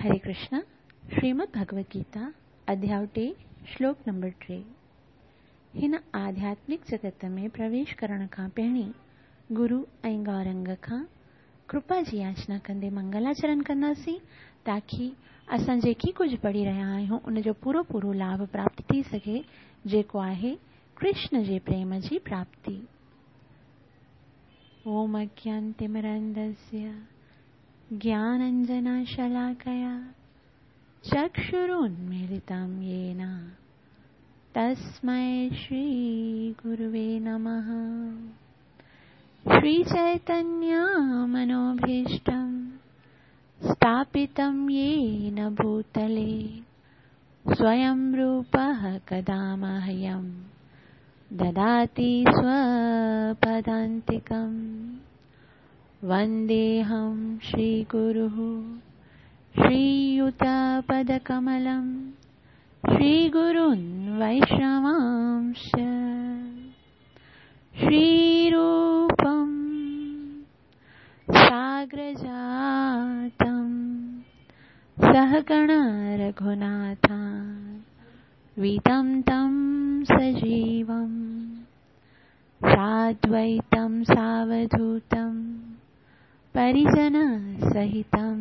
هري ڪرشن، شريمد ڀڳوت گيتا، اڌياء ٽي، شلوڪ نمبر 3. هن آڌياتمڪ جڳت ۾ پرويش ڪرڻ کان پهرين گرو ۽ گورنگ کان ڪرپا جي ياچنا ڪندي منگلاچرن ڪنداسين تاڪي اسان جيڪي ڪجهه پڙهي رهيا آهيون ان جو پورو پورو لاڀ پراپت ٿي سگهي جيڪو آهي ڪرشن جي پريم جي پراپتي. اوم اجنانتمرندسيه ज्ञानञ्जनशलाकया चक्षुरुन्मीलितं येन तस्मै श्रीगुरुवे नमः। श्रीचैतन्यमनोभीष्टं स्थापितं येन भूतले स्वयं रूपः कदा मह्यं ददाति स्वपदान्तिकम्। वन्देऽहं श्रीगुरुः श्रीयुतपदकमलं श्रीगुरून् वैष्णवांश्च श्रीरूपं साग्रजातं सहगण रघुनाथान्वितं तं सजीवं साद्वैतं सावधूतं परिजनसहितं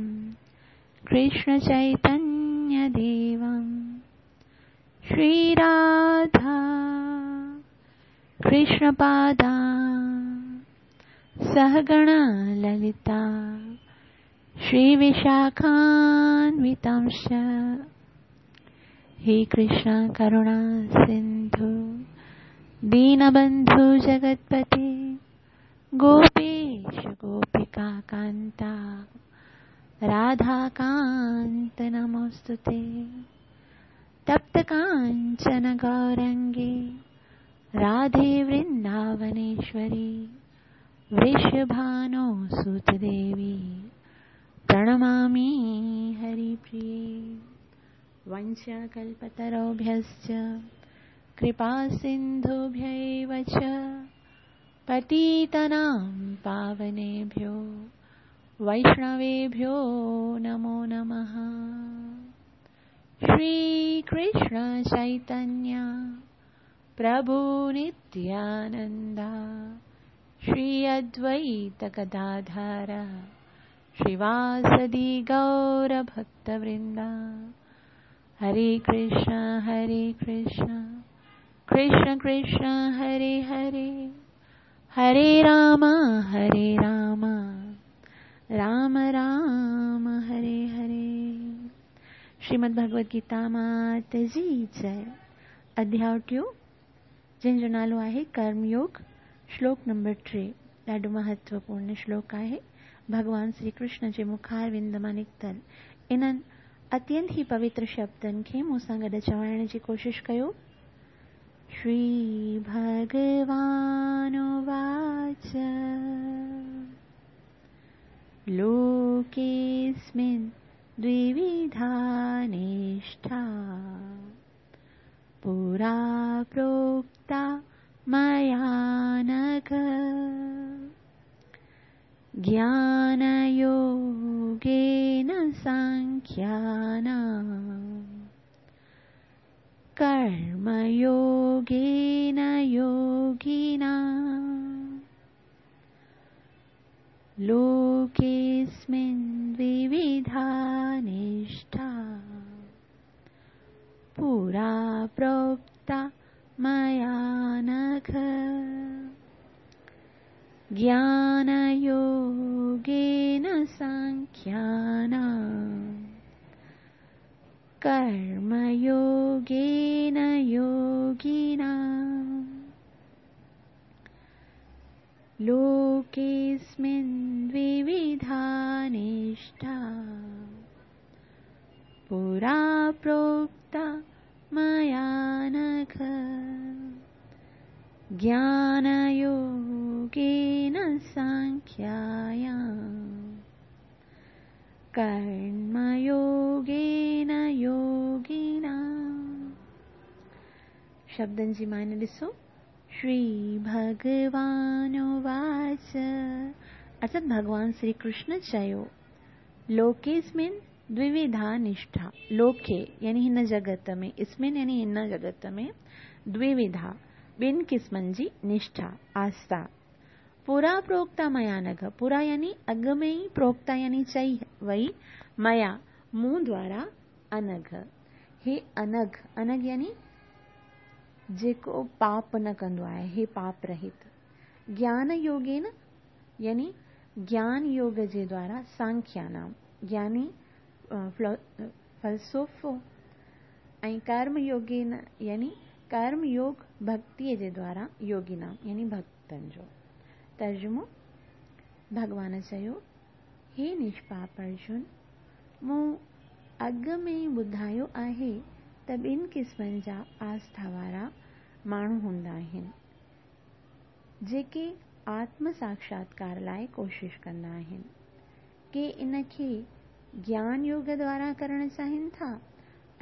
कृष्णचैतन्यदेवं श्रीराधा कृष्णपादा सहगण ललिता श्रीविशाखान्वितांश्च। हे कृष्ण करुणा सिन्धु दीनबन्धु जगत्पते गोपेश गोपिका कान्ता राधाकान्त नमोऽस्तुते। तप्त काञ्चन गौरङ्गे राधे वृन्दावनेश्वरी वृषभानुसुत देवी प्रणमामि हरिप्रिये। वंशकल्पतरुभ्यश्च कृपासिन्धुभ्यैव च पतितानां पावनेभ्यो वैष्णवेभ्यो नमो नमः। श्री कृष्ण चैतन्य प्रभु नित्यानंदा श्री अद्वैत गदाधर श्रीवासदि गौर भक्तवृंदा। हरे कृष्ण कृष्ण कृष्ण हरे हरे, हरे राम राम राम हरे हरे। श्रीमद् भगवद गीता मात जी जय। अध्याय टियों जंहिंजो नालो आहे कर्मयोग, श्लोक नंबर 3। ॾाढो महत्वपूर्ण श्लोक आहे। भॻवान श्री कृष्ण जे मुखारविंद मां निकितल इन्हनि अत्यंत ई पवित्र शब्दनि खे मूंसां गॾु चवाइण जी कोशिशि कयो। श्री भगवानुवाच लोकेऽस्मिन् द्विविधा निष्ठा पुरा प्रोक्ता मया नघ ज्ञानयोगेन सांख्यानां कर्मयोगेन योगिनां। लोकेऽस्मिन् द्विविधा निष्ठा पुरा प्रोक्ता मया नघ ज्ञानयोगेन सांख्यानां कर्मयोगेन योगिनां। लोकेऽस्मिन् द्विविधा निष्ठा पुरा प्रोक्ता मया नघ ज्ञानयोगेन सांख्यायां कर्मयोगेन योगिनां। शब्दनि जी माने ॾिसो। श्री भगवानुवाच, अर्थात भॻवान श्री कृष्ण चयो, लोकेस्मिन् द्विविधा निष्ठा लोके यानी हिन जगत में, अस्मिन् यानी हिन जगत में द्विविधा ॿिनि क़िस्मनि जी निष्ठा आस्था। पुरा प्रोक्ता मया नघ, पुरा यानी अॻु में ई, प्रोक्ता यानी चई वई, मया मूं द्वारा, अनघ हे अनघ, अनघ यानी जेको पाप न कंदो आहे, हे पाप रहित। ज्ञान योगेन यानी ज्ञान योग जे द्वारा सांख्यानाम ज्ञानी फलसोफो ऐं कर्म योगेन यानी कर्म योग भक्तीअ जे द्वारा योगिनाम यानी भक्तनि जो। तर्जुमो भॻवान चयो, हे निष्पाप अर्जुन, मूं अॻु में ई ॿुधायो आहे त ॿिनि क़िस्मनि जा आस्था वारा माण्हू हूंदा आहिनि जेके आत्म साक्षात्कार लाइ कोशिश कंदा आहिनि। के इनखे ज्ञान योग द्वारा करणु चाहिनि था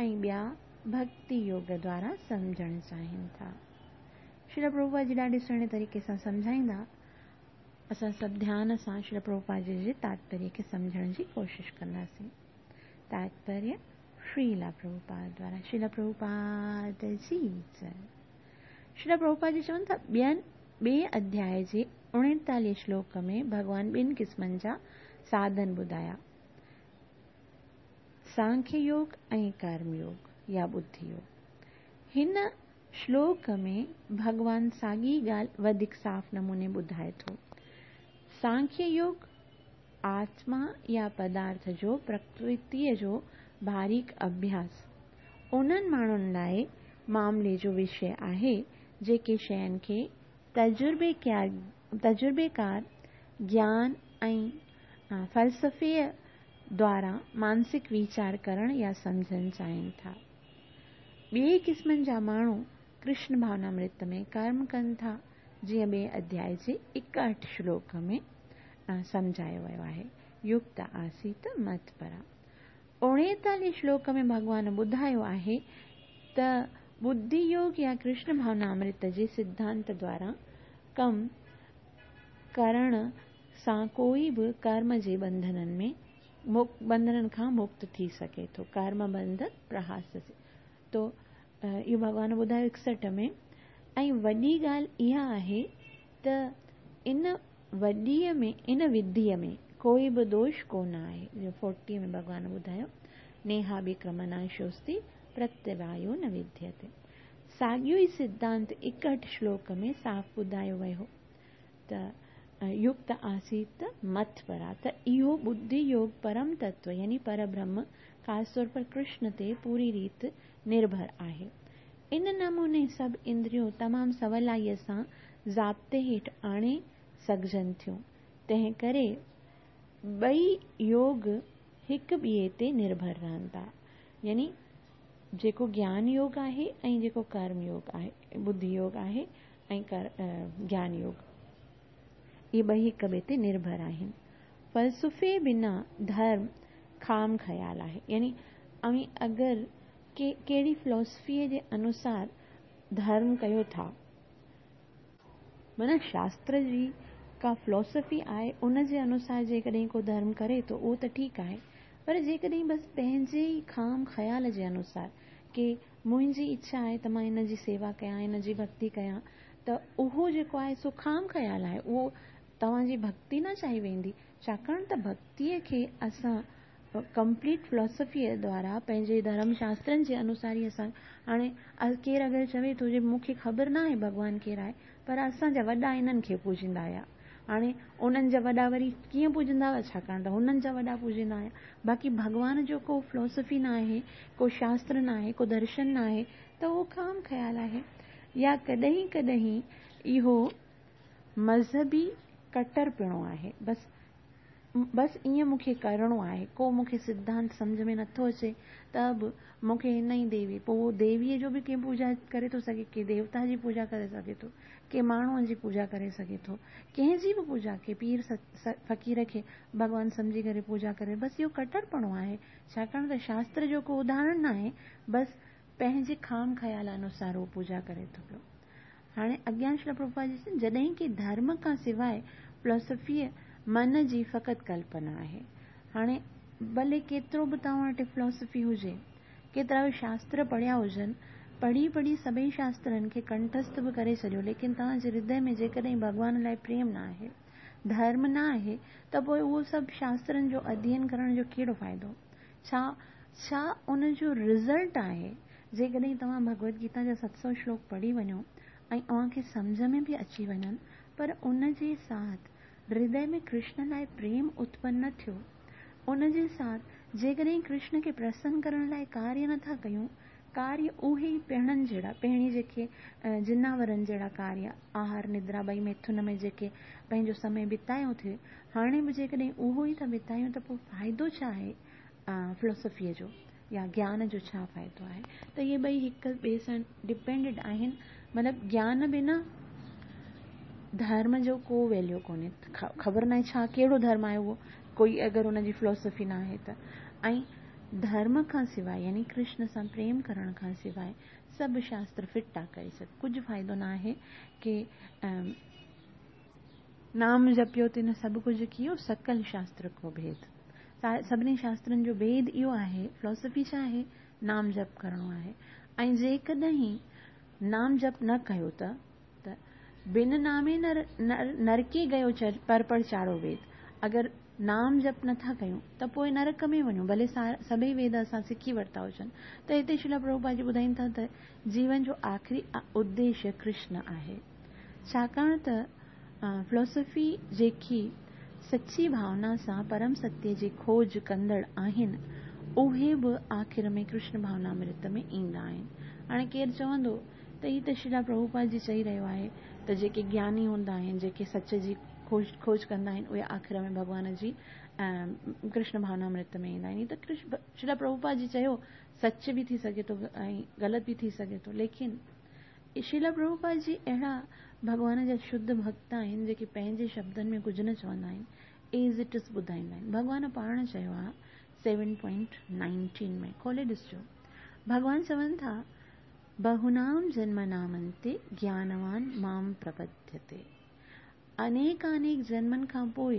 ऐं ॿिया भक्ति योग द्वारा सम्झणु चाहिनि था। श्रील प्रभुपाद जी ॾाढे सुहिणे तरीक़े सां सम्झाईंदा। असां सभु ध्यान सां श्रील प्रभुपाद जी जे तात्पर्य खे सम्झण जी कोशिश कंदासीं। तात्पर्य श्रील प्रभुपाद द्वारा। श्रील प्रभुपाद जी जय। श्रील प्रभुपाद जी चवनि था, ॿिए अध्याय जे 39 श्लोक में भॻवान ॿिनि क़िस्मनि जा साधन ॿुधाया, सांख्य योग ऐं कर्म योग या बुद्धि योग। हिन श्लोक में भॻवान साॻी ॻाल्हि वधीक साफ़ नमूने ॿुधाए थो। सांख्य योग आत्मा या पदार्थ जो प्रकृतीअ जो बारीक अभ्यास उन्हनि माण्हुनि लाइ मामले जो विषय आहे जेके शयुनि खे तजुर्बेकार ज्ञान ऐं फ़लसफ़े द्वारा मानसिक वीचार करण या सम्झणु चाहिनि था। ॿिए क़िस्मनि जा माण्हू कृष्ण भावनामृत में कर्म कनि था, जीअं ॿिए अध्याय जे 61 श्लोक में सम्झायो वियो आहे, युक्त आसीत मत परा। 39 श्लोक में भॻवान ॿुधायो आहे त बुद्धि योग या कृष्ण भावनामृत जे सिद्धांत द्वारा कम करण सां कोई बि कर्म जे बंधननि में बंधननि खां मुक्त थी सघे थो। कर्म बंध प्रहास तो इहो भॻवान ॿुधायो 61 में। ऐं वॾी ॻाल्हि इहा आहे त इन वॾीअ में, इन विधीअ में कोई बि दोष कोन आहे। जो 40 में भॻवान ॿुधायो, नेहा विक्रमनाशोस्ति प्रत्यवायो न विद्यते। साॻियो ई सिद्धांत 61 श्लोक में साफ़ ॿुधायो वियो त युक्त आसीत मत परा, त इहो बुद्धि योग परम तत्व यानी परब्रह्म ख़ासि तौर पर कृष्ण ते पूरी रीति निर्भर आहे। इन नमूने सभु इंद्रियूं तमामु सवलाईअ सां ज़ाब्ते हेठि आणे सघजनि थियूं, तंहिं करे ॿई योग हिक ॿिए ते निर्भर रहनि था। यानी जेको ज्ञान योग आहे ऐं जेको कर्म योग आहे, बुद्धि योग आहे ऐं ज्ञान योग, इहे ॿई हिक ॿिए ते निर्भर आहिनि। फ़लसफ़े बिना धर्म ख़ाम ख़याल आहे। यानी अवीं अगरि कहिड़ी फिलॉसफ़ीअ जे अनुसार धर्म कयो था, माना शास्त्र जी का फिलॉसफ़ी आहे उन जे अनुसार जेकॾहिं को धर्म करे थो उहो त ठीकु आहे, पर जेकॾहिं बसि पंहिंजे ई ख़ाम ख़याल जे अनुसार की मुंहिंजी इच्छा आहे त मां हिन जी सेवा कयां, हिन जी भक्ति कयां, त उहो जेको आहे सो ख़ाम ख़याल आहे, उहो तव्हांजी भक्ति न चाही वेंदी। छाकाणि त भक्तीअ खे असां कंप्लीट फिलॉसफ़ीअ द्वारा पंहिंजे धर्म शास्त्रनि जे अनुसार ई असां हाणे केरु अगरि चवे थो जे मूंखे ख़बर न आहे भॻवानु केरु आहे, पर असांजा वॾा इन्हनि खे पूजींदा हुआ, हाणे उन्हनि जा वॾा वरी कीअं पूजंदा हुआ, छाकाणि त हुननि जा वॾा पूजींदा हुआ। बाक़ी भॻवान जो को फिलॉसफ़ी न आहे, को शास्त्र न आहे, को दर्शन न आहे, त उहो ख़ाम ख़याल आहे। या कॾहिं कॾहिं इहो मज़हबी कटरपिणो आहे, बसि बसि ईअं मूंखे करिणो आहे, को मूंखे सिद्धांत सम्झ में नथो अचे त बि मूंखे हिन ई देवी, पोइ देवीअ जो बि कंहिं पूजा करे थो सघे, कंहिं देवता जी पूजा करे सघे थो, कंहिं माण्हूअ जी पूजा करे सघे थो, कंहिंजी बि पूजा, कंहिं पीर फ़क़ीर खे भॻवानु सम्झी करे पूजा करे, बसि इहो कटरपणो आहे। छाकाणि त शास्त्र जो को उदाहरण न आहे, बसि पंहिंजे ख़ाम ख़याल अनुसार उहो पूजा करे थो पियो। हाणे अॻियां श्रील प्रभुपाद जी जॾहिं की धर्म खां सवाइ फिलॉसफ़ीअ मन जी फ़क़ति कल्पना आहे। हाणे ڀلي ڪيترو به توهان وٽ فلاسافي هجي، ڪيترا به شاستر پڙهيا هجن، پڙهي پڙهي سڀئي شاسترن کي ڪنٺسٿ به ڪري ڇڏيو، ليڪن توهان جي هردي ۾ جيڪڏهن ڀڳوان لاء پريم نه آهي، ڌرم نه آهي ته پوء اهو سڀ شاسترن جو اڌيين ڪرڻ جو ڪهڙو فائدو؟ ڇا ڇا ان جو رزلٽ آهي؟ جيڪڏهن توهان ڀڳوت گيتا جا 700 شلوڪ پڙهي وڃو ۽ اوهان کي سمجهه ۾ به اچي وڃن پر ان جي ساٿ هردي ۾ ڪرشن لاء پريم اتپن نه ٿيو، ان جي ساٿ جيڪڏهن ڪرشن کي پرسن ڪرڻ لاء ڪاريه نه ٿا ڪيون، ڪاريه اهي ئي پهڻن جهڙا، پهڻي جيڪي جناورن جهڙا ڪاريه، آهار ندرا ٻئي ميٿن ۾ جيڪي پنهنجو سمي بتايو ٿي، هاڻي به جيڪڏهن اهو ئي ٿا بتايون ته پوء فائدو ڇا آهي فلسفيء جو يا گيان جو ڇا فائدو آهي ته اهي ٻئي هڪ ٻئي سان ڊپينڊڊ آهن مطلب گيان بنا ڌرم جو ڪو ويليو ڪونهي خبر ناهي ڇا ڪهڙو ڌرم آهي اهو ڪوئي اگر ان جي فلسفي ناهي ته ۽ ڌرم کان سواء يعني ڪرشن سان پريم ڪرڻ کان سواء سڀ شاستر فٽ آ ڪري سگهه ڪجهه فائدو ناهي ڪي نام جپيو تن سڀ ڪجهه ڪيو سڪل شاستر ڪو ڀيد سڀني شاسترن جو ڀيد اهو آهي فلاسفي ڇا آهي نام جپ ڪرڻو آهي ۽ جيڪڏهن نام جپ نه ڪيو ته ته بن نامي نر نرڪي گيو چر پر پر چارو ويد اگر نام جپ نٿا ڪيون ته پوء نرڪ ۾ وڃون ڀلي سڀئي ويد اسان سکي ورتا هجن ته هتي شريلا پرڀوپاد جي ٻڌائين ٿا ته جيون جو آخري اديشيه ڪرشن آهي ڇاڪاڻ ته فلسفي جيڪي سچي ڀاونا سان پرم ستيه جي کوج ڪندڙ آهن، اهي به آخر ۾ ڪرشن ڀاونامرت ۾ ايندا آهن. هاڻي ڪير چوندو ته هي ته شريلا پرڀوپاد جي چئي رهيو آهي ته جيڪي گياني هوندا آهن، جيڪي سچ جي کوج ڪندا آهن، اهي آخر ۾ ڀڳوان جي ڪرشن ڀاونامرت ۾ ايندا آهن. هي ته شريلا پرڀوپاد جي چيو سچ به ٿي سگهي ٿو ۽ غلط به ٿي سگهي ٿو، ليڪن شريلا پرڀوپاد جي اهڙا ڀڳوان جا شڌ ڀڳت آهن جيڪي پنهنجي شبدن ۾ ڪجهه نه چوندا آهن ايز it is ٻڌائيندا آهن ڀڳوان پاڻ چيو آهي سيون پوائنٽ نائنٽين ۾ کولي ڏسجو ڀڳوان چون ٿا بهونام جنمنام انتي گيانوان مام پرپديتي انيڪانيڪ جنمن کان پوء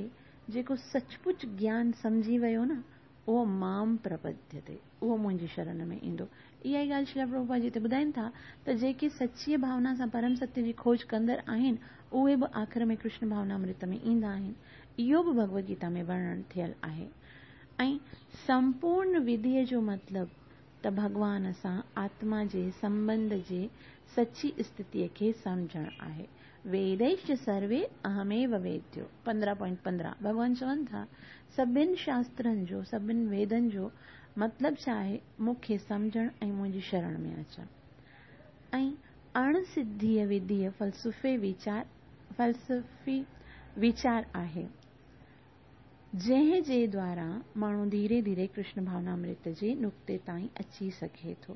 جيڪو سچ پچ گيان سمجهي ويو نه اهو مام پرپديتي، اهو منهنجي شرن ۾ ايندو. اها ئي ڳالهه شريلا پرڀوپاد جي هتي ٻڌائين ٿا ته جيڪي سچيء ڀاونا سان پرم ستيه جي کوج ڪندڙ آهن، اهي به آخر ۾ ڪرشن ڀاونامرت ۾ ايندا آهن. اهو به ڀڳوت گيتا ۾ ورڻن ٿيل آهي. ۽ سمپورن وڌيء جو مطلب ته ڀڳوان سان آتما جي سنٻنڌ جي سچي استٿيء کي سمجهڻ آهي. ويديشچ سروي اهميو ويديو، 15.15، ڀڳوان چون ٿا، سڀن شاسترن جو، سڀن ويدن جو مطلب ڇا آهي؟ مون کي سمجهڻ ۽ منهنجي شرڻ ۾ اچڻ. ۽ اڻ سڌيء وڌيء فلسفي ويچار، فلسفي ويچار آهي. جنهن جي دوارا ماڻهو ڌيري ڌيري ڪرشن ڀاونامرت جي نقطي تائين اچي سگهي ٿو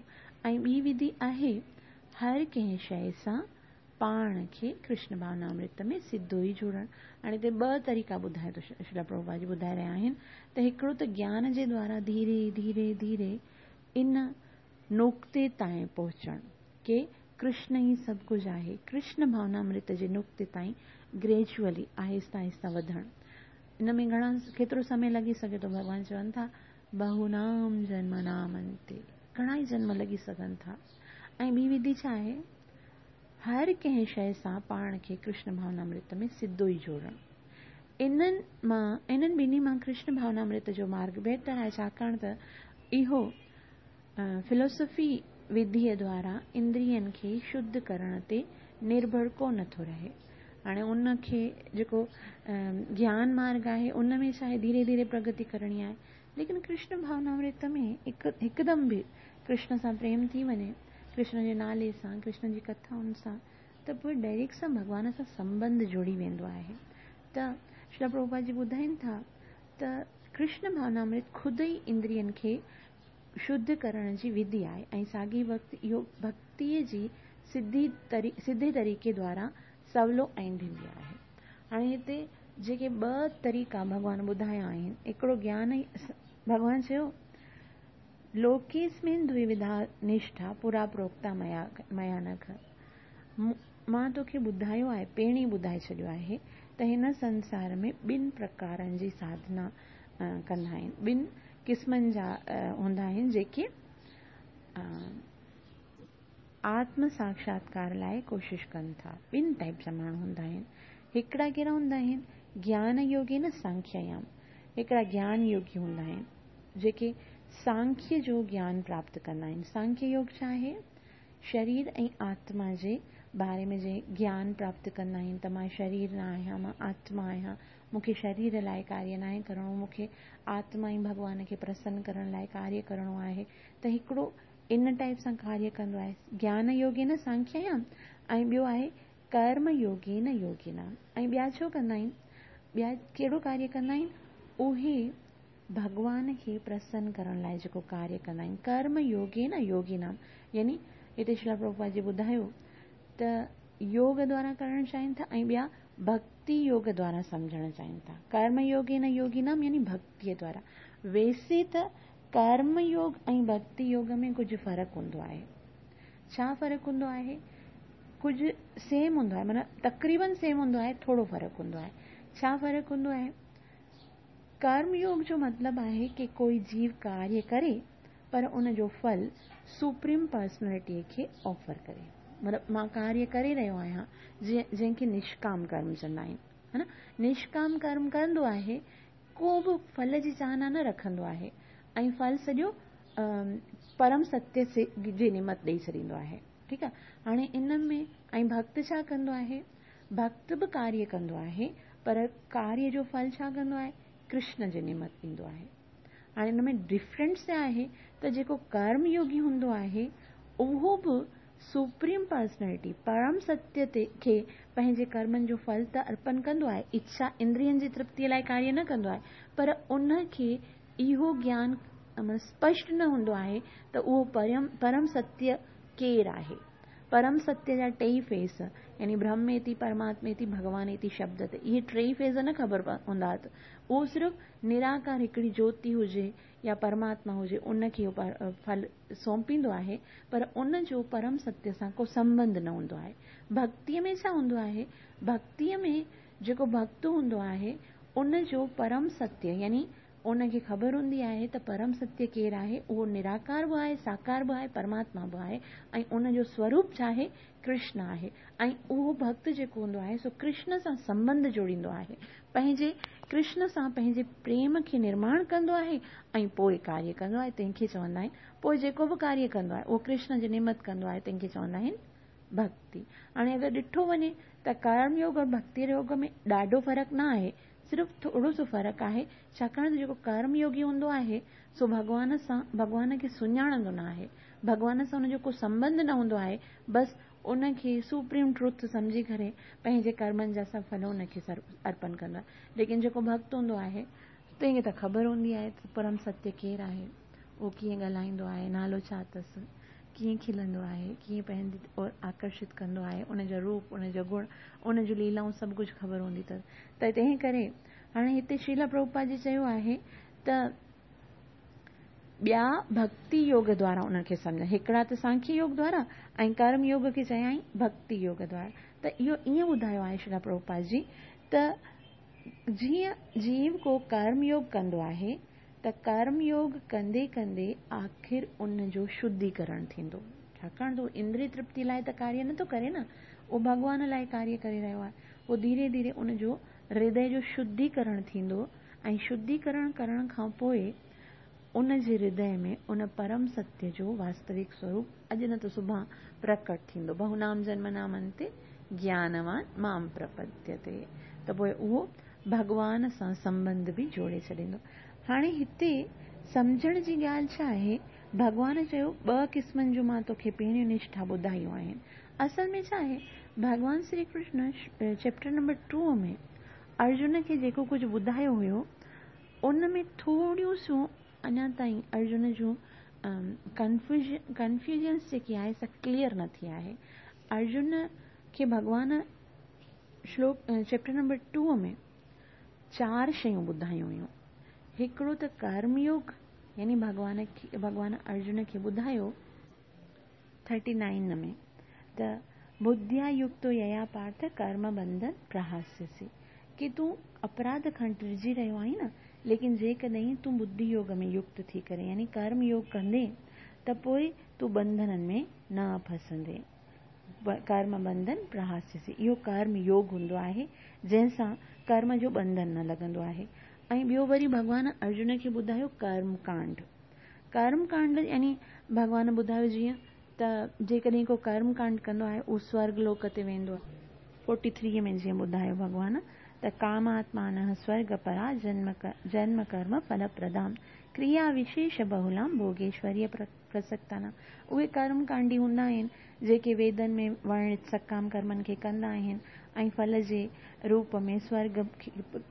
۽ ٻي وڌي آهي هر ڪنهن شيء سان پاڻ کي ڪرشن ڀاونامرت ۾ سڌو ئي جوڙڻ. هاڻي هتي ٻه طريقا ٻڌائي ٿو شريلا پرڀوپاد جي ٻڌائي رهيا آهن ته هڪڙو ته گيان جي دوارا ڌيري ڌيري ڌيري ان نقطي تائين پهچڻ ڪي ڪرشن ئي سڀ ڪجهه آهي. ڪرشن ڀاونامرت جي نقطي تائين گريجوئلي، آهستي آهستي وڌڻ. ان ۾ گهڻا ڪيترو سمي لڳي سگهي ٿو؟ ڀڳوان چون ٿا، بهونام جنمنام انتي، گهڻا ئي جنم لڳي سگهن ٿا. ۽ ٻي وڌي ڇا آهي؟ هر ڪنهن شيء سان پاڻ کي ڪرشن ڀاونامرت ۾ سڌو ئي جوڙڻ. انهن مان انهن ٻنهي مان ڪرشن ڀاونامرت جو مارگ بهتر آهي ڇاڪاڻ ته اهو فلسفي وڌيء دوارا اندرين کي شڌ ڪرڻ تي نرڀر ڪو نه ٿو رهي. هاڻي ان کي جيڪو گيان مارگ آهي ان ۾ ڇا آهي ڌيري ڌيري پرگتي ڪرڻي آهي ليڪن ڪرشن ڀاونامرت ۾ هڪ هڪدم به ڪرشن سان پريم ٿي وڃي ڪرشن جي نالي سان ڪرشن جي ڪٿائن سان ته پوء ڊائريڪٽ سان ڀڳوان سان سنٻنڌ جڙي ويندو آهي ته شريلا پرڀوپاد جي ٻڌائين ٿا ته ڪرشن ڀاونامرت خود ئي اندرين کي شڌ ڪرڻ جي وڌي آهي ۽ ساڳئي وقت اهو ڀڳتيء جي سڌي سڌي طريقي دوارا سولو ۽ ڌيمي آهي. هاڻي هتي جيڪي ٻه طريقا ڀڳوان ٻڌايا آهن، هڪڙو گيان ۽ ڀڳوان چيو، لوڪيسمن دويوڌا نشٺا پورا پروڪتا ميا ميا نگه مان توکي ٻڌايو آهي، پهرين ئي ٻڌائي ڇڏيو آهي ته هن سنسار ۾ ٻن پرڪارن جي ساڌنا ڪندا آهن، ٻن قسمن جا هوندا آهن جيڪي آتم ساڪشاتڪار لاء ڪوشش ڪن ٿا. ٻن ٽائيپ جا ماڻهو هوندا آهن. هڪڙا ڪهڙا هوندا آهن؟ گيان يوگي نه سانکيايام. هڪڙا گيان يوگي هوندا آهن جيڪي سانکيه جو گيان پراپت ڪندا آهن. سانکيه يوگ ڇا آهي؟ شرير ۽ آتما جي باري ۾ جي گيان پراپت ڪندا آهن ته مان شرير نه آهيان، مان آتما آهيان، مون کي شرير لاء ڪاريه ناهي ڪرڻو، مون کي آتما ۽ ڀڳوان کي پرسن ڪرڻ لاء ڪاريه ڪرڻو آهي ته هڪڙو ان ٽائيپ سان ڪاريه ڪندو آهي گيان يوگين سانکيايام ۽ ٻيو آهي ڪرم يوگين يوگينام ۽ ٻيا ڇو ڪندا آهن ٻيا ڪهڙو ڪاريه ڪندا آهن اهي ڀڳوان کي پرسن ڪرڻ لاء جيڪو ڪاريه ڪندا آهن ڪرم يوگين يوگينام يعني هتي شريلا پرڀوپاد جي ٻڌايو ته يوگ دوارا ڪرڻ چاهين ٿا ۽ ٻيا ڀڳتي يوگ دوارا سمجهڻ چاهين ٿا ڪرم يوگين يوگينام يعني ڀڳتي دوارا ويسي ته ڪرم يوگ ۽ ڀڳتي يوگ ۾ ڪجهه فرق هوندو آهي. ڇا فرق هوندو آهي؟ ڪجهه سيم هوندو آهي معنيٰ تقريبن سيم هوندو آهي ٿورو فرق هوندو آهي. ڇا فرق هوندو آهي؟ ڪرم يوگ جو مطلب آهي ڪي ڪوئي جيو ڪاريه ڪري پر ان جو ڦل سپريم پرسنلٽي کي آفر ڪري. مطلب مان ڪاريه ڪري رهيو آهيان جنهن کي نشڪام ڪرم چوندا آهن ها نه نشڪام ڪرم ڪندو آهي ڪو به ڦل جي چاهنا نه رکندو آهي ۽ ڦل سڄو پرم ستيه جي نمت ڏئي ڇڏيندو آهي ٺيڪ آهي هاڻي ان ۾ ۽ ڀڳت ڇا ڪندو آهي ڀڳت به ڪاريه ڪندو آهي پر ڪاريه جو ڦل ڇا ڪندو آهي ڪرشن جي نمت ڏيندو آهي هاڻي ان ۾ ڊفرنس ڇا آهي ته جيڪو ڪرم يوگي هوندو آهي اهو به سپريم پرسنلٽي، پرم ستيه تي، کي پنهنجي ڪرمن جو ڦل ته ارپن ڪندو آهي، اڇا، اندرين جي ترپتيء لاء ڪاريه نه ڪندو آهي، پر ان کي اهو گيان اسپشٽ نه هوندو آهي ته اهو پرم ستيه ڪير آهي. پرم ستيه جا ٽيئي فيس، يعني برهميتي، پرماتميتي، ڀڳوانيتي شبد تي، اهي ٽيئي فيس نه خبر هوندا اٿس. اهو صرف نراڪار هڪڙي جوتي هجي يا پرماتما هجي، ان کي اهو ڦل سونپيندو آهي، پر ان جو پرم ستيه سان ڪو سنٻنڌ نه هوندو آهي. ڀڳتيء ۾ ڇا هوندو آهي؟ ڀڳتيء ۾ جيڪو ڀڳت هوندو آهي، ان جو پرم ستيه يعني ان کي خبر هوندي آهي ته پرم ستيه ڪير آهي، اهو نراڪار به آهي، ساڪار به آهي، پرماتما به آهي ۽ ان جو سوروپ ڇا آهي؟ ڪرشن آهي ۽ اهو ڀڳت جيڪو هوندو آهي سو ڪرشن سان سنٻنڌ جوڙيندو آهي. پنهنجي ڪرشن سان پنهنجي پريم کي نرماڻ ڪندو آهي ۽ پوء ڪاريه ڪندو آهي تنهن کي چوندا آهن پوء جيڪو به ڪاريه ڪندو آهي اهو ڪرشن جي نمت ڪندو آهي تنهن کي چوندا آهن ڀڳتي. هاڻي اگر ڏٺو وڃي ته ڪرم يوگ اور ڀڳتي يوگ ۾ ڏاڍو فرق نه آهي صرف ٿورو سو فرق آهي ڇاڪاڻ ته جيڪو ڪرم يوگي هوندو آهي سو ڀڳوان سان ڀڳوان کي سڃاڻندو نه آهي ڀڳوان سان ان جو ڪو سنٻنڌ نه هوندو آهي بس ان کي سپريم ٽروٿ سمجهي ڪري پنهنجي ڪرمن جا سڀ ڦل ان کي ارپن ڪندو آهي ليڪن جيڪو ڀڳت هوندو آهي تنهن کي ته خبر هوندي آهي ته پرم ستيه ڪير آهي اهو ڪيئن ڳالهائيندو آهي نالو ڇا اٿس ڪيئن کلندو آهي ڪيئن پنهنجي اور آڪرشت ڪندو آهي ان جو روپ ان جو گڻ ان جون ليلائون سڀ ڪجهه خبر هوندي اٿس ته تنهن ڪري هاڻي هتي شريلا پرڀوپاد جي چيو آهي ته ٻيا ڀڳتي يوگ دوارا انهن کي سمجهن. هڪڙا ته سانکيه يوگ دوارا ۽ ڪرم يوگ کي چيائين ڀڳتي يوگ دوارا. ته اهو ائين ٻڌايو آهي شريلا پرڀوپاد جي ته جيئن جيو ڪو ڪرم يوگ ڪندو آهي ته ڪرم يوگ ڪندي ڪندي آخر ان جو شڌيڪرڻ ٿيندو. ڇاڪاڻ ته هو اندري ترپتي لاء ته ڪاريه نٿو ڪري نه، اهو ڀڳوان لاء ڪاريه ڪري رهيو آهي. پوء ڌيري ڌيري ان جو هردي جو شڌيڪرڻ ٿيندو ۽ شڌيڪرڻ ڪرڻ کان پوء ان جي هردي ۾ ان پرم ستيه جو واستوڪ سوروپ اڄ نه ته سڀان پرڪٽ ٿيندو. بهونام جنمنام انتي گيانوان مام پرپديتي ته پوء اهو ڀڳوان سان سنٻنڌ به جوڙي ڇڏيندو. هاڻي هتي سمجهڻ جي ڳالهه ڇا آهي؟ ڀڳوان چيو ٻه قسمن جون مان توکي پهريون نشٺا ٻڌايون آهن. اصل ۾ ڇا آهي؟ ڀڳوان Shri Krishna chapter number two ۾ Arjun کي جيڪو ڪجهه ٻڌايو هيو ان ۾ ٿوريون سيون اڃا تائين ارجن جون ڪنفيوزنس جيڪي آهي سا ڪليئر نه ٿي آهي. ارجن کي ڀڳوان شلوڪ چيپٽر نمبر ٽو ۾ چار شيون ٻڌايون هيون. هڪڙو ته ڪرم يوگ يعني ڀڳوان کي ڀڳوان ارجن کي ٻڌايو ٿرٽي نائن ۾ ته ٻڌيا يڪتو ييا پارٿ ڪرم بنڌن پرهاسيسي ڪي تون اپراڌ کان ڊڄي رهيو آهين نه ليڪن جيڪڏهن تون ٻڌي يوگ ۾ يڪت ٿي ڪري يعني ڪرم يوگ ڪندين ته پوء تون ٻنڌنن ۾ نه ڦسندين. ڪرم ٻنڌن پرهاسيسي. اهو ڪرم يوگ هوندو آهي جنهن سان ڪرم جو ٻنڌن نه لڳندو آهي. ۽ ٻيو وري ڀڳوان ارجن کي ٻڌايو ڪرم ڪانڊ. ڪرم ڪانڊ يعني ڀڳوان ٻڌايو جيئن ته جيڪڏهن ڪو ڪرم ڪانڊ ڪندو آهي اهو سورگ لوڪ تي ويندو آهي. فورٽي ٿري ۾ جيئن ٻڌايو ڀڳوان ته ڪاماتمانه سورگ پرا جنم جنم ڪرم ڦل پردام ڪريا وشيش بهولام ڀوگيشوريه پرسڪتانام. اهي ڪرم ڪانڊي هوندا آهن جيڪي ويدن ۾ ورڻت سڪام ڪرمن کي ڪندا آهن ۽ ڦل جي روپ ۾ سورگ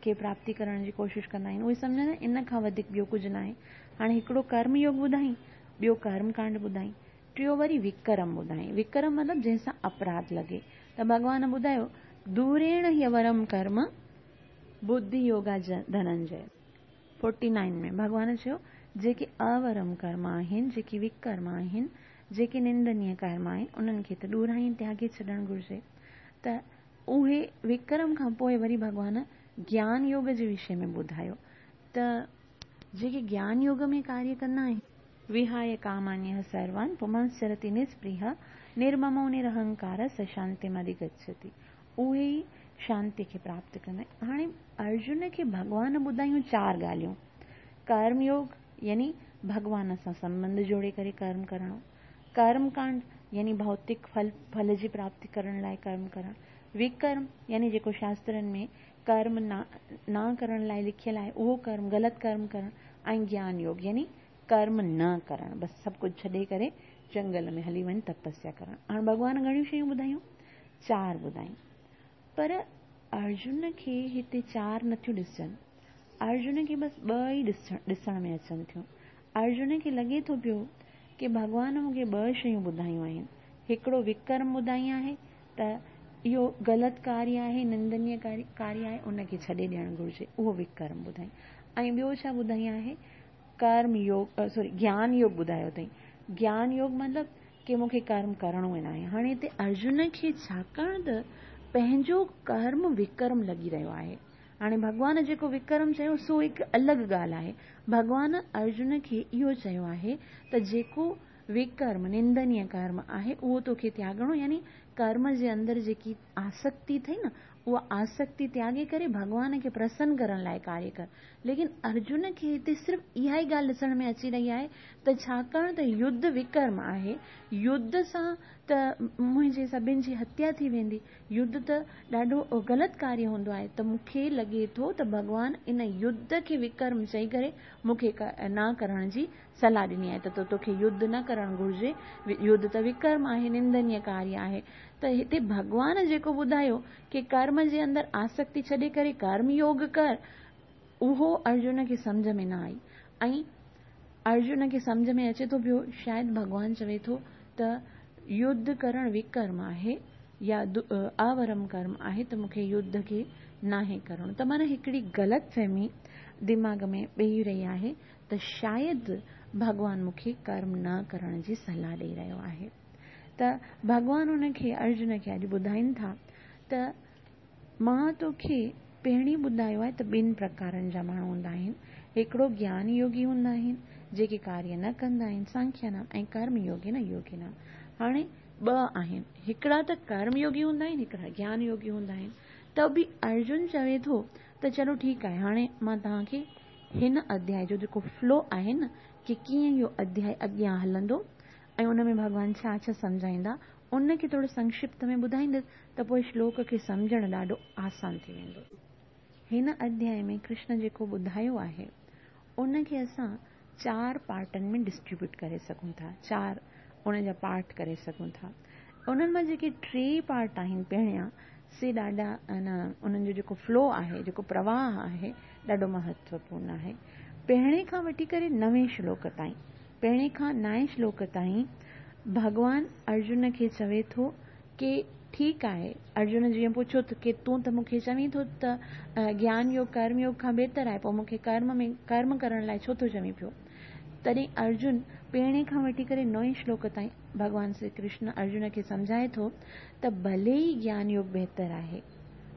کي پراپتي ڪرڻ جي ڪوشش ڪندا آهن. اهي سمجهندا آهن ان کان وڌيڪ ٻيو ڪجهه ناهي. هاڻي هڪڙو ڪرم يوگ ٻڌائين، ٻيو ڪرم ڪانڊ ٻڌائين، ٽيو وري وڪرم ٻڌائين. وڪرم مطلب جنهن سان اپراڌ لڳي. ته ڀڳوان ٻڌايو دوريڻ هيورم ڪرم ٻڌي يوگا ڌننجي. فورٽي نائن ۾ ڀڳوان چيو جيڪي اورم ڪرم آهن، جيڪي وڪرم آهن، جيڪي نندنيه ڪرم آهن، انهن کي ته ڏورائين تياڳي ڇڏڻ گهرجي. ته اهي وڪرم کان پوء وري ڀڳوان گيان يوگ جي وشي ۾ ٻڌايو ته جيڪي گيان يوگ ۾ ڪاريه ڪندا آهن. وهايه ڪامانيه سروان پمنسچرتي نسپرهه نرممو نرهنڪار س شانتيم اڌگڇتي. اهي ئي شانتي کي پراپت ڪندا آهن. هاڻي ارجن کي ڀڳوان ٻڌايون چار ڳالهيون. ڪرم يوگ يعني ڀڳوان سان سنٻنڌ جوڙي ڪري ڪرم ڪرڻ. ڪرم ڪانڊ يعني ڀوتڪ ڦل ڦل جي پراپتي ڪرڻ لاء ڪرم ڪرڻ. وڪرم يعني جيڪو شاسترن ۾ ڪرم نه ڪرڻ لاء لکيل آهي اهو ڪرم غلط ڪرم ڪرڻ ۽ گيان يوگ يعني ڪرم نه ڪرڻ بس سڀ ڪجهه ڇڏي ڪري جنگل ۾ هلي وڃ تپسيا ڪرڻ. هاڻ ڀڳوان گهڻيون شيون ٻڌايون؟ چار ٻڌايون. پر ارجن کي هتي چار نٿيون ڏسجن. ارجن کي بس ٻه ئي ڏسڻ ۾ اچن ٿيون. ارجن کي لڳي ٿو پيو ڪي ڀڳوان مون کي ٻه شيون ٻڌايون آهن. هڪڙو وڪرم ٻڌائي آهي ته اهو غلط ڪاريه آهي، نندنيه ڪاريه آهي، ان کي ڇڏي ڏيڻ گهرجي. اهو وڪرم ٻڌائي. ۽ ٻيو ڇا ٻڌائي آهي؟ ڪرم يوگ سوري گيان يوگ ٻڌايو اٿئي. گيان يوگ مطلب ڪي مون کي ڪرم ڪرڻو ئي ناهي. هاڻي هتي ارجن کي ڇاڪاڻ ته پنهنجو ڪرم وڪرم لڳي رهيو آهي. هاڻي ڀڳوان جيڪو وڪرم چيو سو هڪ الڳ ڳالهه آهي. ڀڳوان ارجن کي اهو چيو آهي ته جيڪو وڪرم، نندنيه ڪرم، آهي اهو توکي تياڳڻو يعني ڪرم جي اندر جيڪي آسڪتي اٿئي نه اها آسڪتي تياڳي ڪري ڀڳوان کي پرسن ڪرڻ لاء ڪاريه ڪر. ليڪن ارجن کي هتي صرف اها ئي ڳالهه ڏسڻ ۾ اچي رهي آهي ته ڇاڪاڻ ته يڌ وڪرم آهي، يڌ سان ته منهنجي سڀن جي هتيا ٿي ويندي، يڌ ته ڏاڍو غلط ڪاريه هوندو آهي ته مون کي لڳي ٿو ته ڀڳوان ان يڌ کي وڪرم چئي ڪري مون کي نه ڪرڻ جي صلاح ڏني آهي ته توکي يڌ نه ڪرڻ گهرجي، يڌ ته وڪرم آهي، نندنيه ڪاريه آهي. ته هتي ڀڳوان جيڪو ٻڌايو ڪي ڪرم جي اندر آسڪتي ڇڏي ڪري ڪرم يوگ ڪر، اهو ارجن کي سمجهه ۾ نه آئي ۽ ارجن کي سمجهه ۾ اچي ٿو پيو شايد ڀڳوان چوي ٿو ته يڌ ڪرڻ وڪرم آهي يا اورم ڪرم آهي ته مون کي يڌ کي ناهي ڪرڻو ته معنيٰ هڪڙي غلط فهمي دماغ ۾ ويهي رهي آهي ته شايد ڀڳوان مون کي ڪرم نه ڪرڻ جي صلاح ڏئي رهيو آهي ته ڀڳوان ان کي ارجن کي اڄ ٻڌائين ٿا ته مان توکي پهرين ٻڌايو آهي ته ٻن پرڪارن جا ماڻهو هوندا آهن. هڪڙو گيان يوگي هوندا آهن، جيڪي ڪاريه نه ڪندا آهن، سانکيا نام، ۽ ڪرم يوگي نه يوگي نام. هاڻي ٻه آهن، هڪڙا ته ڪرم يوگي هوندا آهن، هڪڙا گيان يوگي هوندا آهن. ته به ارجن چوي ٿو ته چلو ٺيڪ آهي، هاڻي مان توهان کي هن اڌياء جو جيڪو فلو آهي نه ڪي ڪيئن اهو اڌياء اڳيان هلندو ۽ ان ۾ ڀڳوان ڇا ڇا سمجهائيندا، ان کي ٿورو سنڪشپت ۾ ٻڌائيندس ته پوء شلوڪ کي سمجهڻ ڏاڍو آسان ٿي ويندو. هن اڌيائي ۾ ڪرشن جيڪو ٻڌايو آهي، ان کي اسان چار پارٽن ۾ ڊسٽريبيوٽ ڪري سگهون ٿا، چار ان جا پارٽ ڪري سگهون ٿا. انهن مان جيڪي ٽي پارٽ آهن پهريان، سي ڏاڍا انهن جو جيڪو فلو آهي، جيڪو پرواهه آهي، ڏاڍو مهتوپورن آهي. پهرين کان وٺي ڪري نوين شلوڪ تائين، پهرين کان نائين شلوڪ تائين ڀڳوان ارجن کي چوي ٿو ڪي ٺيڪ آهي، ارجن جيئن پڇيو ته ڪي تون ته مون کي چوين ٿو ته گيان يوگ ڪرم يوگ کان بهتر آهي، پوء مون کي ڪرم ۾ ڪرم ڪرڻ لاء ڇو ٿو چوين پيو؟ تڏهن ارجن پهرين کان وٺي ڪري نوين شلوڪ تائين ڀڳوان شري ڪرشن ارجن کي سمجهائي ٿو ته ڀلي ئي گيان يوگ بهتر آهي،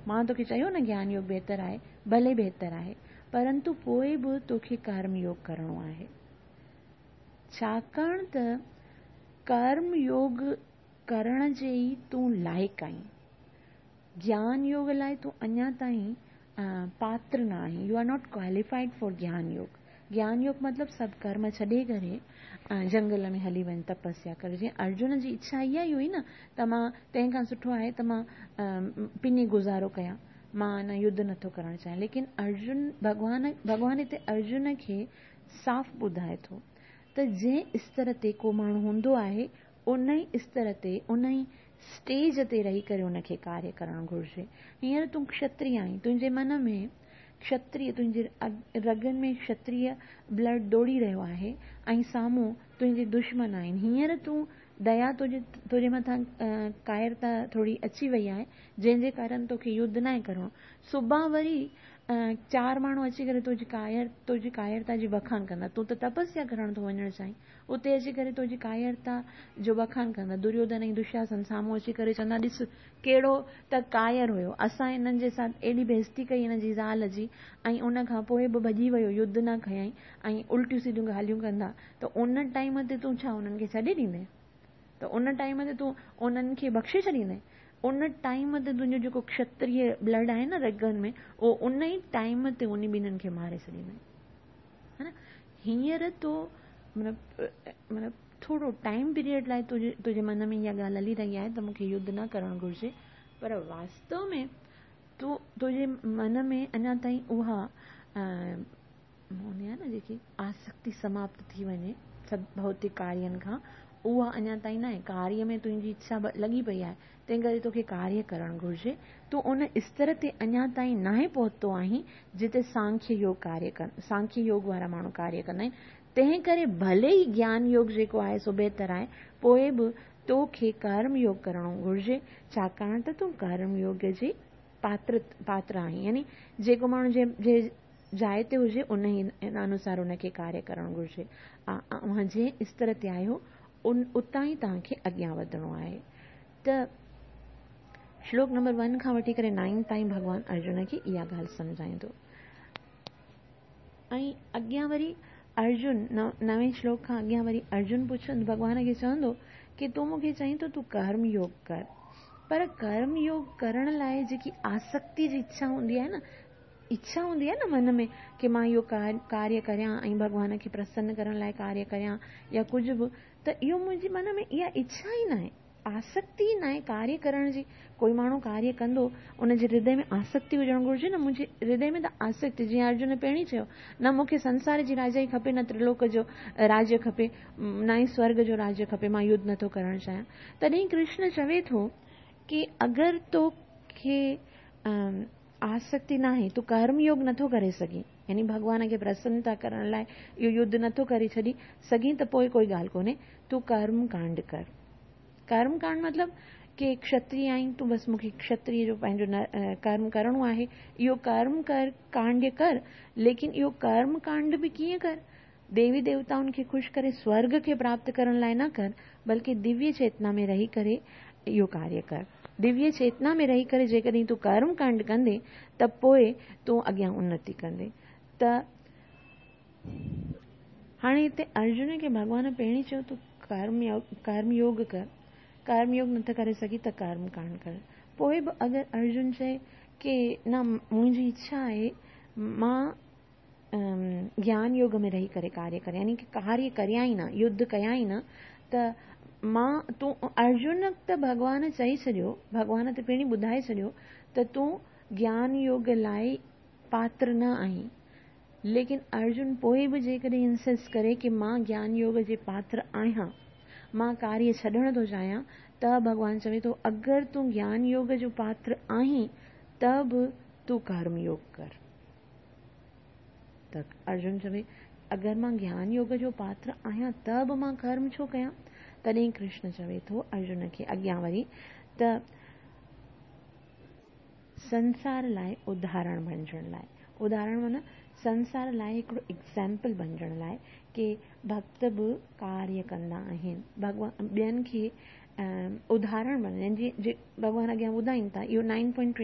مان توکي چيو نه گيان يوگ بهتر آهي، ڀلي بهتر آهي، پرنتو پوءِ به توکي ڪرم يوگ ڪرڻو آهي. ڇاڪاڻ ته ڪرم يوگ ڪرڻ جي ئي تون لائق آهين. گيان يوگ لاءِ تون اڃا تائين پاتر نه آهين، you are not qualified for گيان يوگ. گيان يوگ مطلب سڀ ڪرم ڇڏي ڪري جنگل ۾ هلي وڃ تپسيا ڪر. جيئن ارجن جي اڇا اها ئي هئي نه ته مان تنهن کان سٺو آهي ته مان پني گذارو ڪيان، مان نه يڌ نٿو ڪرڻ چاهيان. ليڪن ارجن ڀڳوان ڀڳوان هتي ارجن کي صاف ٻڌائي ٿو ته جنهن استر تي ڪو ماڻهو هوندو آهي ان ئي استر تي ان ئي اسٽيج تي رهي ڪري ان کي ڪاريه ڪرڻ گهرجي. هينئر تون کشتري آهين، تنهنجي من ۾ کشتري تنهنجي رڳن ۾ کشتريه بلڊ ڊوڙي رهيو آهي ۽ سامهون تنهنجي دشمن آهن. هينئر تون ديا تنهنجي تنهنجي مٿان ڪائرتا ٿوري اچي وئي آهي، جنهن جي ڪارڻ توکي يڌ ناهي ڪرڻو. سڀان وري چار ماڻهو اچي ڪري تنهنجي ڪائر تنهنجي ڪائرتا جي بکان ڪندا. تون ته تپسيا ڪرڻ ٿو وڃڻ چاهين، اتي اچي ڪري تنهنجي ڪائرتا جو بکان ڪندا. دريوڌن ۽ دشاسن سامهون اچي ڪري چوندا، ڏس ڪهڙو ته ڪائر هيو، اسان هنن جي ساٿ ايڏي بيعزتي ڪئي هن جي زال جي ۽ ان کان پوء به ڀڄي ويو، يڌ نه ڪيائين ۽ الٽيون سڌيون ڳالهيون ڪندا ته ان ٽائيم تي تون ڇا انهن کي ڇڏي ڏيندين؟ ته ان ٽائيم تي تون انهن کي بخشي ڇڏيندين؟ ان ٽائيم تي تنهنجو جيڪو کشتريه بلڊ آهي نه رڳن ۾ اهو ان ئي ٽائيم تي انهي ٻنهن کي ماري ڇڏيندين. ها نه هينئر تو مطلب مطلب ٿورو ٽائيم پيريڊ لاء تنهنجي تنهنجي من ۾ اها ڳالهه هلي رهي آهي ته مون کي يڌ نه ڪرڻ گهرجي پر واستو ۾ تو تنهنجي من ۾ اڃا تائين اها هوندي آهي نه جيڪي آسڪتي سماپت ٿي وڃي سڀ ڀوتڪ ڪارين کان اها اڃا تائين ناهي. ڪاريه ۾ تنهنجي اڇا لڳي پئي آهي تنهن ڪري توکي ڪاريه ڪرڻ گهرجي. تون ان استر تي اڃا تائين ناهي پهتو آهين جتي سانکيه يوگ ڪاريه ڪن سانکيه يوگ وارا ماڻهو ڪاريه ڪندا آهن. تنهن ڪري ڀلي ئي گيان يوگ جيڪو آهي سو بهتر آهي پوء به توکي ڪرم يوگ ڪرڻو گهرجي ڇاڪاڻ ته تون ڪرم يوگ جي پاتر پاتر آهين يعني جيڪو ماڻهو جنهن جنهن جاء تي هجي ان انوسار ان کي ڪاريه ڪرڻ گهرجي. اوهان جنهن استر تي آهيو ان اتان ئي توهان کي اڳيان وڌڻو آهي. ته شلوڪ نمبر ون کان وٺي ڪري نائن تائين ڀڳوان ارجن کي اها ڳالهه سمجهائيندو. ۽ اڳيان وري ارجن نوين شلوڪ کان اڳيان وري ارجن پڇندو ڀڳوان کي چوندو ڪي تون مون کي چئين ٿو تون ڪرم يوگ ڪر پر ڪرم يوگ ڪرڻ لاء جيڪي آسڪتي جي اڇا هوندي آهي نه اڇا هوندي آهي نه من ۾ ڪي مان اهو ڪاريه ڪريان ۽ ڀڳوان کي پرسن ڪرڻ لاء ڪاريه ڪريان يا ڪجهه به ته اهو منهنجي من ۾ اها اڇا ئي ناهي آسڪتي ئي ناهي ڪاريه ڪرڻ جي. ڪوئي ماڻهو ڪاريه ڪندو ان جي هردي ۾ آسڪتي هجڻ گهرجي نه منهنجي هردي ۾ ته آسڪتي جيئن ارجن پهرين چيو نه مون کي سنسار جي راجائي کپي نه ترلوڪ جو راجيه کپي نه ئي سورگ جو راجيه کپي مان يڌ نٿو ڪرڻ چاهيان تڏهن ڪرشن چوي ٿو ڪي اگر توکي آسڪتي ناهي، تون ڪرم يوگ نٿو ڪري سگهين، يعني ڀڳوان کي پرسنتا ڪرڻ لاء اهو يڌ نٿو ڪري ڇڏي سگهين ته پوء ڪوئي ڳالهه ڪونهي، تون ڪرم ڪانڊ ڪر. ڪرم ڪانڊ مطلب ڪي کشتري آهين تون بس مون کي کشتري جو پنهنجو ڪرم ڪرڻو آهي، اهو ڪرم ڪر ڪانڊ ڪر، ليڪن اهو ڪرم ڪانڊ به ڪيئن ڪر؟ ديوي ديوتائن کي خوش ڪري سورڳ کي پراپت ڪرڻ لاء نه ڪر، بلڪه دويه چيتنا ۾ رهي ڪري اهو ڪاريه ڪر. دويه چيتنا ۾ رهي ڪري جيڪڏهن تون ڪرم ڪانڊ ڪندين ته پوء تون اڳيان انتي ڪندين. ته هاڻي هتي ارجن کي ڀڳوان پهرين چيو تون ڪرم يوگ ڪر، ڪرم يوگ نٿو ڪري سگهين ته ڪرم ڪانڊ ڪر. پوء به اگر ارجن چئي ڪي نه منهنجي اڇا آهي مان گيان يوگ ۾ رهي ڪري ڪاريه ڪريان يعني ڪي ڪاريه ڪريان ئي نه يڌ ڪيان ئي نه ته مان تون ارجن ته ڀڳوان چئي ڇڏيو ڀڳوان ته پهرين ٻڌائي ڇڏيو ته تون گيان يوگ لاء پاتر نه آهين ليڪن ارجن پوء به جيڪڏهن انسسٽ ڪري ڪي مان گيان يوگ جي پاتر آهيان مان ڪاريه ڇڏڻ ٿو چاهيان ته ڀڳوان چوي ٿو اگر تون گيان يوگ جو پاتر آهين ته به تون ڪرم يوگ ڪر. ته ارجن چوي، اگر مان گيان يوگ جو پاتر آهيان ته به مان ڪرم ڇو ڪيان؟ تڏهن ڪرشن چوي ٿو ارجن کي اڳيان وري ته سنسار لاء اداهرڻ بڻجڻ لاء، اداهرڻ معنيٰ سنسار لاء هڪڙو ايگزامپل بڻجڻ لاء ڪي ڀڳت به ڪاريه ڪندا آهن، ڀڳوان ٻين کي اداهرڻ بڻجن جيئن ڀڳوان اڳيان ٻڌائين ٿا اهو نائن پوائنٽ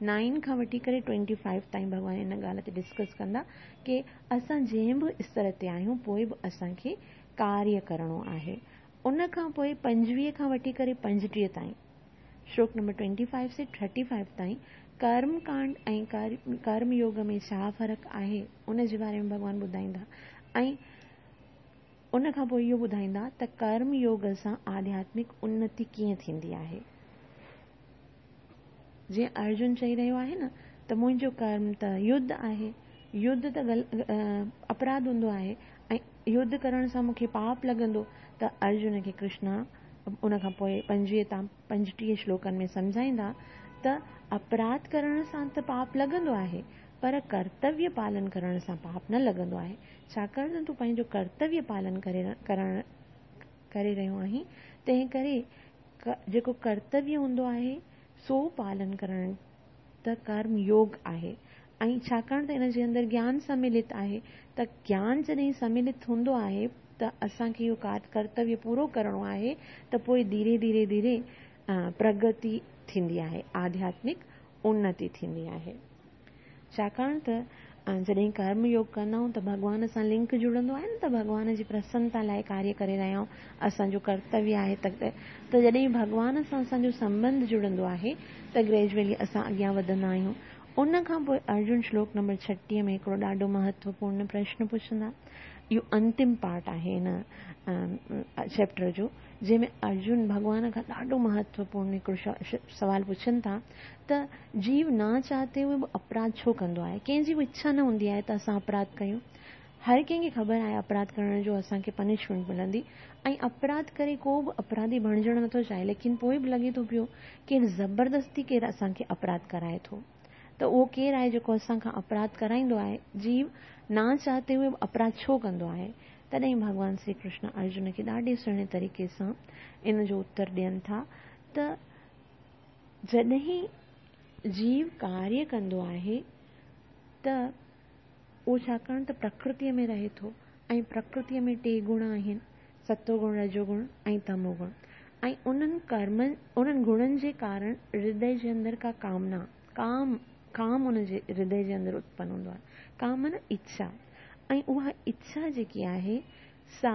نائن کان وٺي ڪري ٽوئنٽي فائيو تائين ڀڳوان ان ڳالهه تي ڊسڪس ڪندا ڪي اسان جنهن به استر تي آهيون پوء به اسان کي ڪاريه ڪرڻو آهي. ان کان پوء 25 کان وٺي ڪري 35 تائين، شلوڪ نمبر ٽوئنٽي فائيو سي ٿرٽي فائيو تائين، ڪرم ڪانڊ ۽ ڪرم يوگ ۾ ڇا فرق آهي ان جي باري ۾ ڀڳوان ٻڌائيندا ۽ ان کان پوء اهو ٻڌائيندا ته ڪرم يوگ سان آڌياتمڪ انتي ڪيئن ٿيندي آهي. جيئن ارجن چئي رهيو آهي نه ته منهنجو ڪرم ته يڌ آهي، يڌ ته اپراڌ هوندو آهي ۽ يڌ ڪرڻ سان مون کي پاپ لڳندو ته ارجن کي ڪرشنا ان کان پوء 25 تان 35 شلوڪن ۾ سمجهائيندا ته اپراڌ ڪرڻ سان ته پاپ لڳندو آهي پر ڪرتويه پالن ڪرڻ سان پاپ نه لڳندو آهي، ڇاڪاڻ ته تون پنهنجو ڪرتويه پالن ڪري ڪرڻ ڪري رهيو آهين، تنهن ڪري جيڪو ڪرتويه هوندو آهي سو پالن ڪرڻ ته ڪرم يوگ آهي ۽ ڇاڪاڻ ته ان جي اندر گيان سملت آهي ته گيان جڏهن سملت هوندو آهي ته اسان کي اهو ڪرتويه پورو ڪرڻو آهي ته پوء ڌيري ڌيري ڌيري پرگتي ٿيندي آهي، آڌياتمڪ انتي ٿيندي آهي. ڇاڪاڻ ته جڏهن ڪرم يوگ ڪندا آهيون ته ڀڳوان سان لنڪ جڙندو آهي نه ته ڀڳوان جي پرسنتا لاء ڪاريه ڪري رهيا آهيون، اسان جو ڪرتويه آهي ته ته جڏهن ڀڳوان سان اسان جو سنٻنڌ جڙندو آهي ته گريجوئلي اسان اڳيان وڌندا آهيون. ان کان پوء ارجن شلوڪ نمبر 36 ۾ هڪڙو ڏاڍو مهتوپورن پرشن پڇندا. اهو انتم پارٽ آهي هن چيپٽر جو، جنهن ۾ ارجن ڀڳوان کان ڏاڍو مهتوپورن هڪڙو سوال پڇن ٿا ته جيو نه چاهتي هوئي به اپراڌ ڇو ڪندو آهي؟ ڪنهن جي به اڇا نه هوندي آهي ته اسان اپراڌ ڪيون. هر ڪنهن کي خبر آهي اپراڌ ڪرڻ جو اسان کي پنشمينٽ ملندي ۽ اپراڌ ڪري ڪو به اپراڌي بڻجڻ نٿو چاهي، ليڪن پوء به لڳي ٿو پيو ڪير زبردستي ڪير اسان کي اپراڌ ڪرائي ٿو ته اهو ڪير آهي جيڪو اسان کان اپراڌ ڪرائيندو آهي؟ جيو نه چاهتي هوئي به اپراڌ ڇو ڪندو آهي؟ تڏهن ڀڳوان شري ڪرشن ارجن کي ڏاڍي سهڻي طريقي سان ان جو اتر ڏين ٿا ته جڏهن جيو ڪاريه ڪندو آهي ته اهو ڇاڪاڻ ته پرڪرتيء ۾ رهي ٿو ۽ پرڪرتيء ۾ ٽي گڻ آهن، ستو گڻ، رجو گڻ ۽ تمو گڻ ۽ انهن ڪرمن، انهن گڻن جي ڪارڻ هردي جي اندر ڪا ڪامنا، ڪام، ڪام ان جي هردي جي اندر اتپن هوندو آهي، ڪام معنيٰ اڇا ۽ اها اڇا جيڪي آهي سا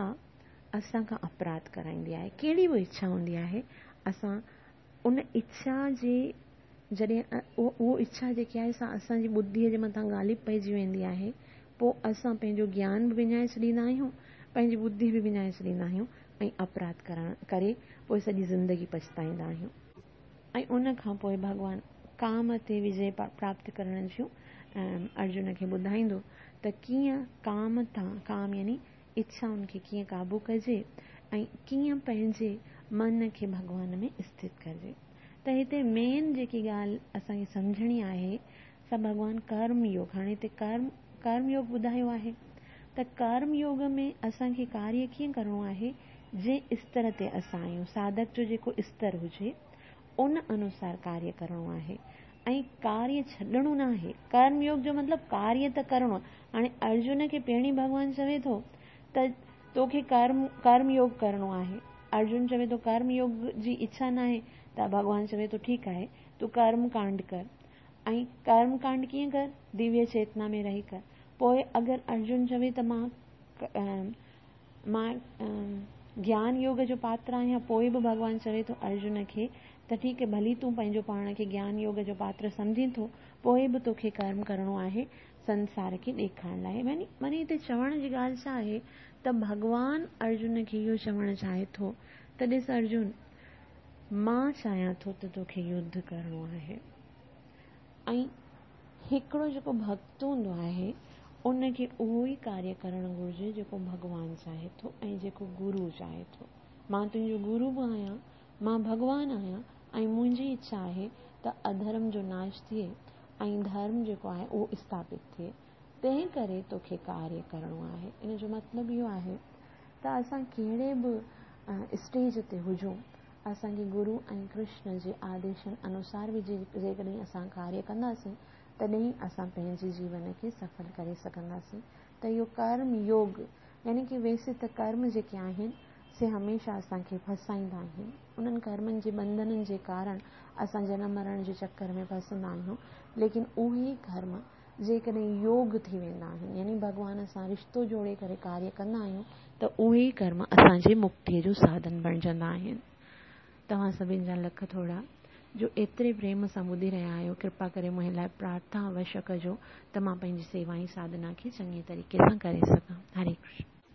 اسان کان اپراڌ ڪرائيندي آهي، ڪهڙي به اڇا هوندي آهي اسان ان اڇا جي جڏهن اهو اڇا جيڪي آهي سا اسان جي ٻڌيء جي مٿان غالب پئجي ويندي آهي، پوء اسان پنهنجو گيان به وڃائي ڇڏيندا آهيون، پنهنجي ٻڌي به وڃائي ڇڏيندا آهيون ۽ اپراڌ ڪرڻ ڪري پوء سڄي زندگي پڇتائيندا آهيون. ۽ ان کان پوء ڀڳوان ڪام تي وجي پراپت ڪرڻ جون ارجن کي ٻڌائيندو ته ڪيئن ڪام تان، ڪام يعني اڇائن کي ڪيئن قابو ڪجي ۽ ڪيئن پنهنجي من کي ڀڳوان ۾ اسٿت ڪجي. ته هتي مين جيڪي ڳالهه اسان کي سمجهڻي آهي سا ڀڳوان ڪرم يوگ، هاڻي هتي ڪرم ڪرم يوگ ٻڌايو آهي ته ڪرم يوگ ۾ اسان کي ڪاريه ڪيئن ڪرڻو آهي، جنهن استر تي اسان آهيون، ساڌڪ جو جيڪو استر هجي ان انوسار ڪاريه ڪرڻو آهي ۽ ڪاريه ڇڏڻو نه آهي. ڪرم يوگ جو مطلب ڪاريه ته ڪرڻو آهي. هاڻي ارجن کي پهرين ڀڳوان چوي ٿو ته توکي ڪرم ڪرم يوگ ڪرڻو آهي. ارجن چوي ٿو ڪرم يوگ جي اڇا ناهي ته ڀڳوان چوي ٿو ٺيڪ آهي تون ڪرم ڪانڊ ڪر ۽ ڪرم ڪانڊ ڪيئن ڪر دويه چيتنا ۾ رهي ڪر. پوء اگر ارجن چوي ته مان مان گيان يوگ جو پاتر آهيان پوء به ڀڳوان چوي ٿو ارجن کي ته ٺيڪ آهي ڀلي تون پنهنجو پاڻ کي گيان يوگ جو پاتر سمجهين ٿو پوء به توکي ڪرم ڪرڻو آهي سنسار کي ڏيکارڻ لاء. معني هتي چوڻ جي ڳالهه ڇا آهي ته ڀڳوان ارجن کي اهو چوڻ چاهي ٿو ته ڏس ارجن مان چاهيان ٿو ته توکي يڌ ڪرڻو آهي ۽ هڪڙو جيڪو ڀڳت هوندو آهي ان کي اهو ئي ڪاريه ڪرڻ گهرجي جيڪو ڀڳوان چاهي ٿو ۽ جيڪو گرو چاهي ٿو. مان تنهنجو گرو به آهيان، مان ڀڳوان آهيان ۽ منهنجي اڇا آهي ته اڌرم جو ناش ٿئي ۽ ڌرم جيڪو آهي اهو اسٿاپت ٿئي، تنهن ڪري توکي ڪاريه ڪرڻو آهي. ان جو مطلب اهو آهي ته اسان ڪهڙي به اسٽيج تي هجون، اسان کي گرو ۽ ڪرشن جي آديشن انوسار به جيڪڏهن اسان ڪاريه ڪنداسين تڏهن ئي اسان پنهنجي جيون کي سڦل ڪري سگهنداسين ته اهو ڪرم يوگ يعني ڪي ويسي ته ڪرم جيڪي آهن سي هميشه اسان کي ڦسائيندا آهن. انهن ڪرمن جي ٻنڌنن جي ڪارڻ اسان جنم مرڻ جي چڪر ۾ ڦسندا آهيون، ليڪن اهي ئي ڪرم جيڪڏهن يوگ ٿي ويندا آهن يعني ڀڳوان سان رشتو جوڙي ڪري ڪاريه ڪندا آهيون ته اهي ئي ڪرم اسان جي مڪتيء جو ساڌن بڻجندا آهن. توهان سڀن جا لک ٿورا جو ايتري پريم سان ٻڌي رهيا آهيو ڪرپا ڪري منهنجي لاء پرارٿنا اوشيه ڪجو ته مان پنهنجي سيوا ۽ ساڌنا کي چڱي طريقي سان ڪري سگهان. هري ڪرشن.